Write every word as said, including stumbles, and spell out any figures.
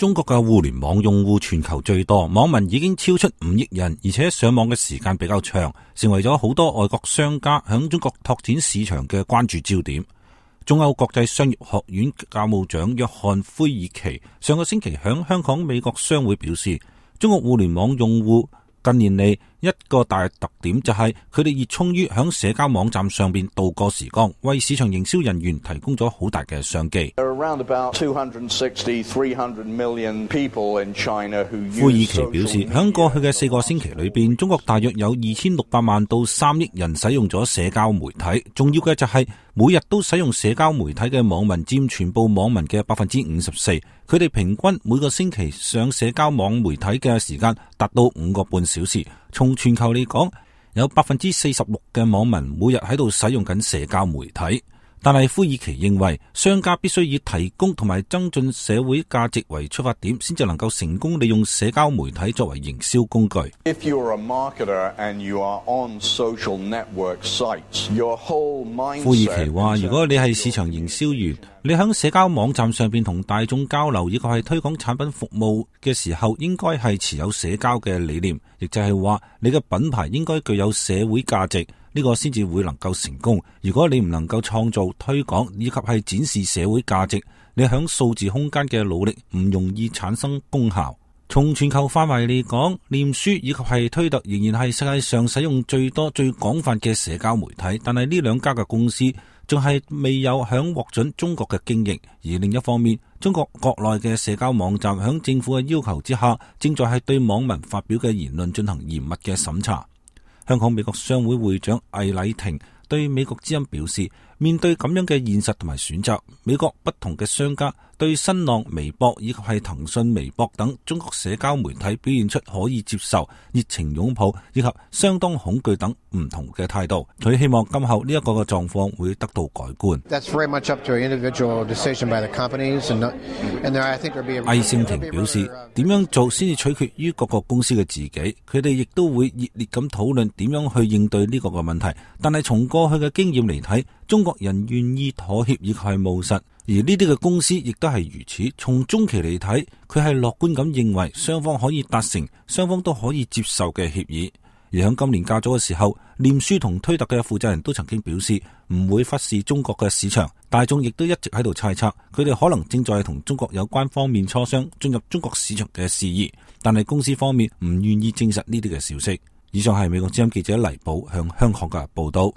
中國嘅互聯網用戶全球最多，網民已經超出五億人，而且上網嘅時間比較長，成為咗好多外國商家響中國拓展市場嘅關注焦點。中歐國際商業學院教務長約翰奎爾奇上個星期響香港美國商會表示，中國互聯網用戶近年嚟一個大特點就係佢哋熱衷於響社交網站上邊度過時光，為市場營銷人員提供咗好大嘅商機。奎爾奇表示，響過去嘅四個星期裏邊，中國大約有二千六百萬到三億人使用咗社交媒體。重要嘅就係每日都使用社交媒體嘅網民佔全部網民嘅百分之五十四，佢哋平均每個星期上社交網媒體嘅時間達到五個半小時。從全球嚟講，有百分之四十六嘅網民每日喺度使用緊社交媒體。但係奎爾奇認為，商家必須以提供同埋增進社會價值為出發點，先至能夠成功利用社交媒體作為營銷工具。奎爾奇話，如果你係市場營銷員，你喺社交網站上邊同大眾交流，以及係推廣產品服務嘅時候，應該係持有社交嘅理念，亦就係話你嘅品牌應該具有社會價值。呢個先至會能夠成功。如果你唔能夠創造、推廣以及係展示社會價值，你響數字空間嘅努力唔容易產生功效。從全球範圍嚟講，臉書以及係推特仍然係世界上使用最多、最廣泛嘅社交媒體，但係呢兩家嘅公司仲係未有響獲准中國嘅經營。而另一方面，中國國內嘅社交網站響政府嘅要求之下，正在係對網民發表嘅言論進行嚴密嘅審查。香港美國商會會長魏禮庭對美國之音表示，面對咁樣嘅現實同埋選擇，美國不同嘅商家對新浪微博以及係騰訊微博等中國社交媒體表現出可以接受、熱情擁抱以及相當恐懼等唔同嘅態度。佢希望今後呢一個嘅狀況會得到改觀。魏聖庭表示，點樣做先至取決於各個公司嘅自己，佢哋亦都會熱烈咁討論點樣去應對呢個嘅問題。但係從過去嘅經驗嚟睇，中國人願意妥協以及係務實，而呢啲嘅公司亦都係如此。從中期嚟睇，佢係樂觀咁認為雙方可以達成雙方都可以接受嘅協議。而喺今年較早嘅時候，臉書同推特嘅負責人都曾經表示唔會忽視中國嘅市場。大眾亦都一直喺度猜測，佢哋可能正在同中國有關方面磋商進入中國市場嘅事宜，但係公司方面唔願意證實呢啲嘅消息。以上係美國之音記者黎寶向香港嘅報道。